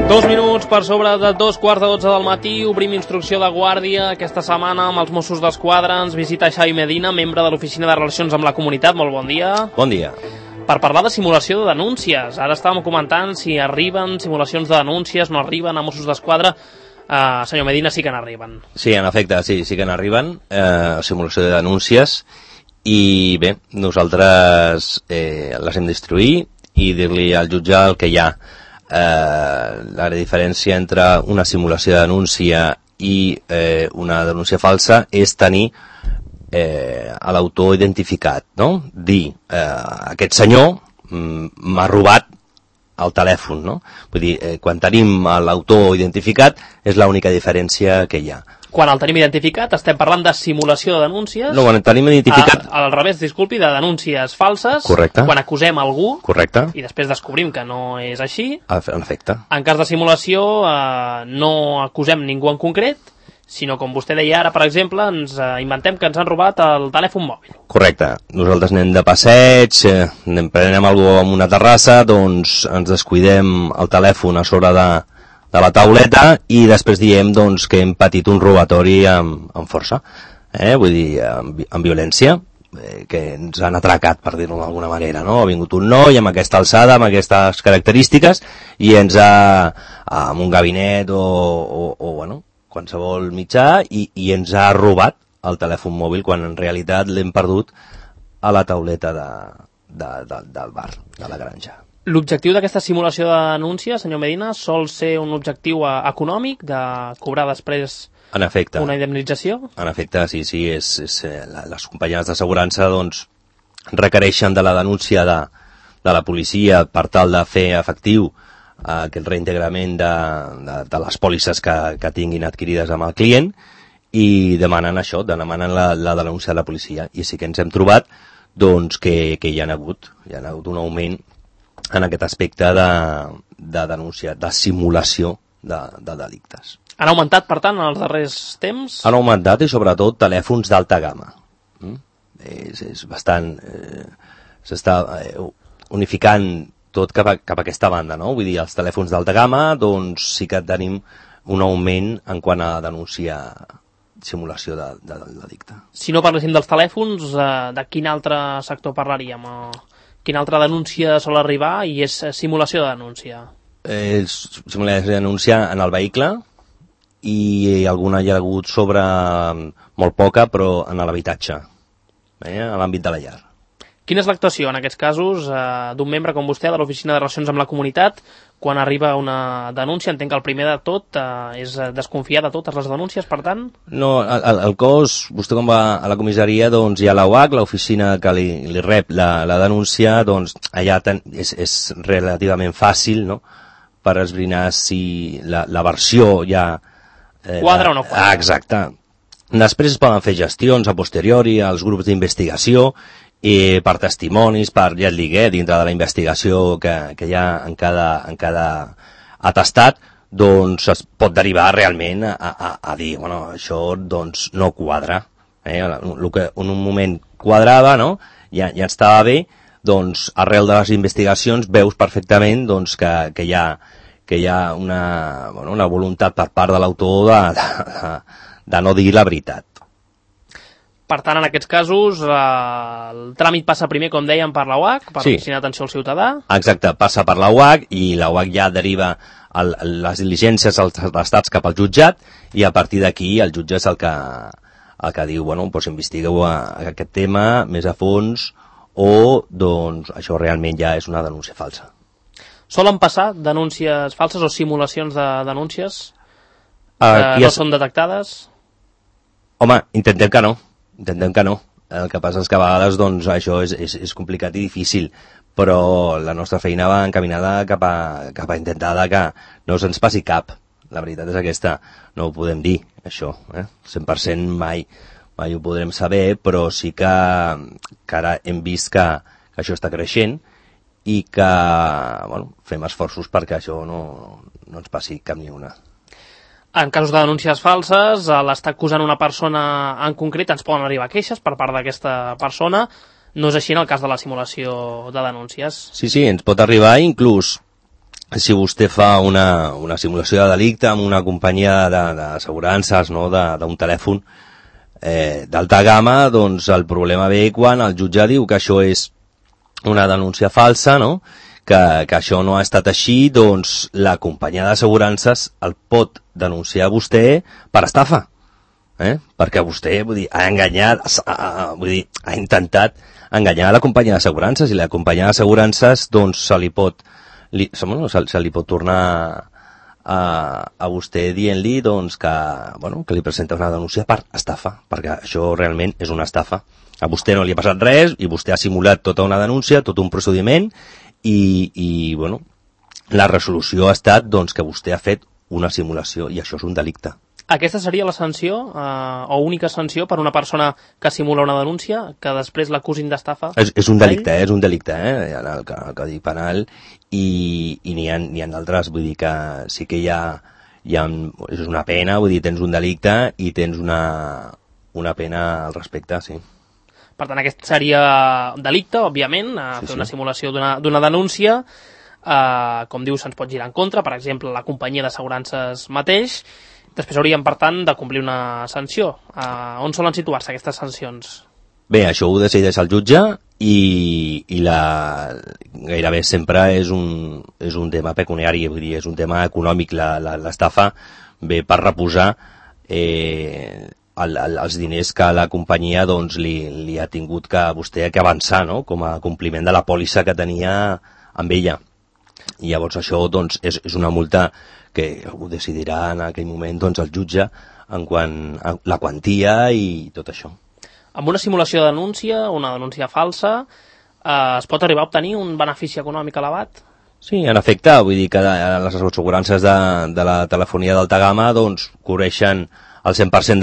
2 minuts per sobre de 2:15 del matí, obrim instrucció de guàrdia aquesta setmana amb els Mossos d'Esquadra. Ens visita Xavi Medina, membre de l'Oficina de Relacions amb la Comunitat. Molt bon dia. Bon dia. Per parlar de simulació de denúncies. Ara estàvem comentant si arriben simulacions de denúncies, no arriben a Mossos d'Esquadra. Senyor Medina, sí que n'arriben. Sí, en efecte, sí que n'arriben, simulació de denúncies, i bé, nosaltres les hem d'instruir i dir-li al jutge el que hi ha. La diferència entre una simulació de denúncia i una denúncia falsa és tenir a l'autor identificat, no? Dir, aquest senyor m'ha robat el telèfon, no? Vull dir, quan tenim l'autor identificat és l'única diferència que hi ha. Quan el tenim identificat estem parlant de simulació de denúncies. No, quan el tenim identificat... Al revés, disculpi, de denúncies falses. Correcte. Quan acusem algú. Correcte. I després descobrim que no és així. En efecte. En cas de simulació no acusem ningú en concret, sinó, com vostè deia ara, per exemple, ens inventem que ens han robat el telèfon mòbil. Correcte. Nosaltres anem de passeig, prenem alguna cosa en una terrassa, doncs ens descuidem el telèfon a sobre de la tauleta i després diem doncs, que hem patit un robatori amb força, vull dir, amb violència, que ens han atracat, per dir-ho d'alguna manera, no? Ha vingut un noi amb aquesta alçada, amb aquestes característiques, i ens ha, amb un gabinet o bueno, qualsevol mitjà, i ens ha robat el telèfon mòbil quan en realitat l'hem perdut a la tauleta del bar, de la granja. L'objectiu d'aquesta simulació de denúncia, senyor Medina, sol ser un objectiu econòmic, de cobrar després en efecte, una indemnització? En efecte, sí, les companyies d'assegurança doncs, requereixen de la denúncia de la policia per tal de fer efectiu aquest reintegrament de les pòlisses que tinguin adquirides amb el client, i demanen això, demanen la denúncia de la policia, i sí que ens hem trobat doncs, que hi ha hagut un augment en aquest aspecte de denúncia, de simulació de delictes. Han augmentat, per tant, en els darrers temps? Han augmentat, i sobretot telèfons d'alta gamma. És bastant... s'està unificant tot cap a aquesta banda, no? Vull dir, els telèfons d'alta gamma, doncs sí que tenim un augment en quant a denúncia, simulació de delicte. Si no parléssim dels telèfons, de quin altre sector parlaríem? Quina altra denúncia sol arribar i és simulació de denúncia? Simulació de denúncia en el vehicle, i alguna hi ha hagut sobre, molt poca, però en l'habitatge, a l'àmbit de la llar. Quina és l'actuació en aquests casos d'un membre com vostè de l'Oficina de Relacions amb la Comunitat quan arriba una denúncia? Entenc que el primer de tot és desconfiar de totes les denúncies, per tant? No, el cos, vostè quan va a la comissaria, doncs hi ha l'OAC, l'oficina que li rep la denúncia, doncs allà és relativament fàcil, no?, per esbrinar si la versió ja... quadra o no quadra. Exacte. Després es poden fer gestions a posteriori als grups d'investigació, i per testimonis, ja et digué, dintre de la investigació que hi ha en cada atestat, doncs es pot derivar realment a dir, bueno, això doncs no quadra. El que en un moment quadrava, no?, ja estava bé, doncs arrel de les investigacions veus perfectament doncs, que hi ha una voluntat per part de l'autor de no dir la veritat. Per tant, en aquests casos, el tràmit passa primer, com dèiem, per la UAC, per l'Oficina d'Atenció al Ciutadà. Exacte, passa per la UAC, i la UAC ja deriva les diligències als atestats cap al jutjat, i a partir d'aquí el jutge és el que diu, bueno, doncs investigueu aquest tema més a fons, o doncs això realment ja és una denúncia falsa. Solen passar denúncies falses o simulacions de denúncies que no són detectades? Home, intentem que no. El que passa és que a vegades doncs, això és complicat i difícil, però la nostra feina va encaminada cap a intentar que no se'ns passi cap. La veritat és aquesta. No ho podem dir, això. 100% mai ho podrem saber, però sí que ara hem vist que això està creixent i que fem esforços perquè això no ens passi cap ni una. En casos de denúncies falses, a l'estar acusant una persona en concret ens poden arribar queixes per part d'aquesta persona. No és així en el cas de la simulació de denúncies? Sí, ens pot arribar, inclús si vostè fa una simulació de delicte amb una companyia d'assegurances, no, d'un telèfon d'alta gamma, doncs el problema ve quan el jutge diu que això és una denúncia falsa, no? Que això no ha estat així, doncs la companyia d'assegurances el pot denunciar a vostè per estafa, perquè vostè, vull dir, ha enganyat, ha intentat enganyar a la companyia d'assegurances, i la companyia d'assegurances doncs se li pot tornar a vostè dient-li doncs, que li presenta una denúncia per estafa, perquè això realment és una estafa. A vostè no li ha passat res i vostè ha simulat tota una denúncia, tot un procediment, i la resolució ha estat doncs, que vostè ha fet una simulació, i això és un delicte. Aquesta seria la sanció, o única sanció per una persona que simula una denúncia, que després l'acusin d'estafa? És un delicte, és un delicte, en el Codi Penal, i n'hi ha d'altres, vull dir que sí que hi ha és una pena, vull dir, tens un delicte i tens una pena al respecte, sí. Per tant, aquest seria delicte, òbviament, fer una simulació d'una denúncia, com diu, se'ns pot girar en contra, per exemple, la companyia d'assegurances mateix. Després hauríem, per tant, de complir una sanció. On solen situar-se aquestes sancions? Bé, això ho decideix el jutge i gairebé sempre és un tema pecuniari, vull dir, és un tema econòmic. L'estafa ve per reposar els diners que la companyia doncs, li ha tingut que vostè que avançar, no? Com a compliment de la pòlissa que tenia amb ella. I llavors això doncs, és una multa que ho decidirà en aquell moment doncs, el jutge en quant a la quantia i tot això. Amb una simulació de denúncia, una denúncia falsa, es pot arribar a obtenir un benefici econòmic elevat? Sí, en efecte, vull dir que les assegurances de la telefonia d'alta gamma doncs, cobreixen el 100%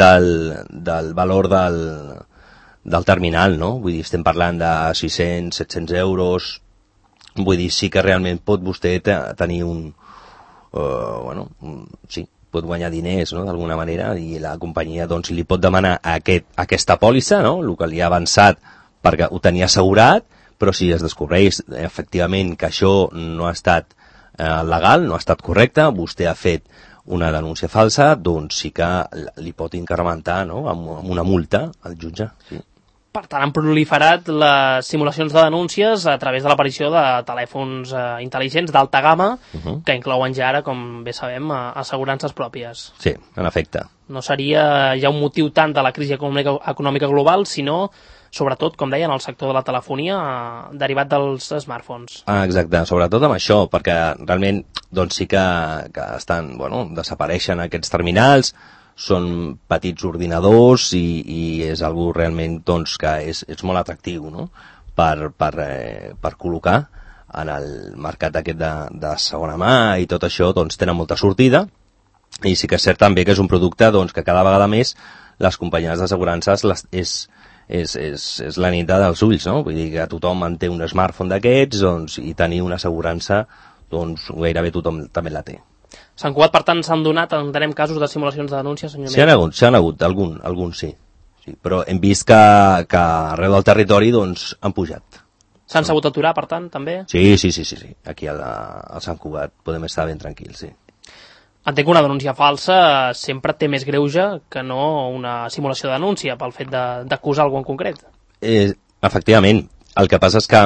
del valor del terminal, no? Vull dir, estem parlant de 600, 700 euros. Vull dir, sí que realment pot vostè tenir sí, pot guanyar diners, no?, d'alguna manera, i la companyia doncs, li pot demanar aquesta pòlissa, no?, el que li ha avançat perquè ho tenia assegurat, però si es descobreix efectivament que això no ha estat legal, no ha estat correcte, vostè ha fet una denúncia falsa, doncs sí que li pot incrementar, no?, amb una multa al jutge. Sí. Per tant, han proliferat les simulacions de denúncies a través de l'aparició de telèfons intel·ligents d'alta gamma, que inclouen ja ara, com bé sabem, assegurances pròpies. Sí, en efecte. No seria ja un motiu tant de la crisi econòmica global, sinó, sobretot, com deien, el sector de la telefonia derivat dels smartphones. Exacte, sobretot amb això, perquè realment doncs sí que estan, desapareixen aquests terminals, són petits ordinadors i és algo realment doncs, que és molt atractiu, no?, per col·locar en el mercat aquest de segona mà, i tot això doncs, tenen molta sortida, i sí que és cert també que és un producte doncs, que cada vegada més les companyies d'assegurances és la nit dels ulls, no? Vull dir que tothom en té un smartphone d'aquests, doncs, i tenir una assegurança doncs, gairebé tothom també la té. S'han Cugat, per tant, s'han donat, entenem, casos de simulacions de denúncia, senyor Mena? S'hi han hagut, alguns sí. Però hem vist que arreu del territori doncs, han pujat. S'han sabut aturar, per tant, també? Sí. Aquí al Sant Cugat podem estar ben tranquils, sí. Entenc que una denúncia falsa sempre té més greuge que no una simulació de denúncia pel fet d'acusar algú en concret. Efectivament. El que passa és que,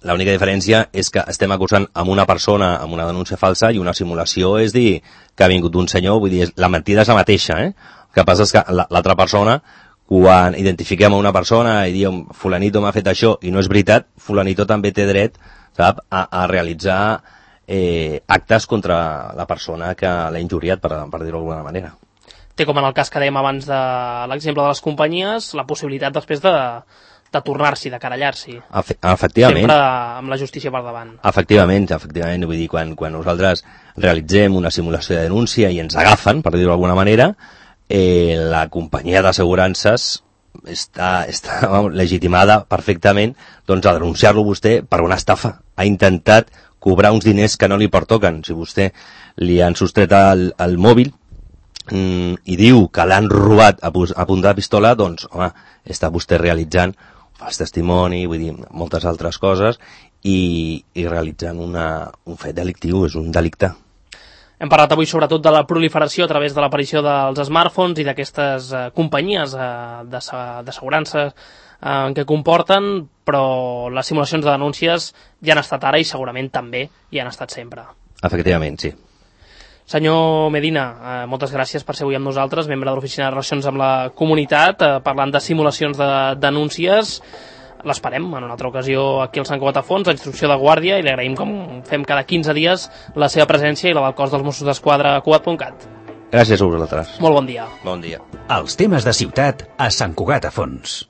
l'única diferència és que estem acusant amb una persona amb una denúncia falsa, i una simulació és dir que ha vingut un senyor, vull dir, la mentida és la mateixa, El que passa és que l'altra persona, quan identifiquem a una persona i diem fulanito m'ha fet això i no és veritat, fulanito també té dret, sap, a realitzar actes contra la persona que l'ha injuriat, per dir-ho d'alguna manera. Té, com en el cas que dèiem abans de l'exemple de les companyies, la possibilitat després de tornar-s'hi, de querellar-s'hi. Efectivament. Sempre amb la justícia per davant. Efectivament. Vull dir, quan nosaltres realitzem una simulació de denúncia i ens agafen, per dir-ho d'alguna manera, la companyia d'assegurances està legitimada perfectament doncs, a denunciar-lo vostè per una estafa. Ha intentat cobrar uns diners que no li pertoquen. Si vostè li han sostret el mòbil i diu que l'han robat a punta de pistola, doncs, home, està vostè realitzant fals testimoni, vull dir, moltes altres coses, i realitzant un fet delictiu, és un delicte. Hem parlat avui sobretot de la proliferació a través de l'aparició dels smartphones i d'aquestes companyies d'assegurança que comporten, però les simulacions de denúncies ja han estat ara i segurament també hi han estat sempre. Efectivament, sí. Senyor Medina, moltes gràcies per ser avui amb nosaltres, membre de l'Oficina de Relacions amb la Comunitat, parlant de simulacions de denúncies. L'esperem en una altra ocasió aquí al Sant Cugat a Fons, a Instrucció de Guàrdia, i li agraïm, com fem cada 15 dies, la seva presència i la del cos dels Mossos d'Esquadra a Cugat.cat. Gràcies a vosaltres. Molt bon dia. Bon dia. Els temes de ciutat a Sant Cugat a Fons.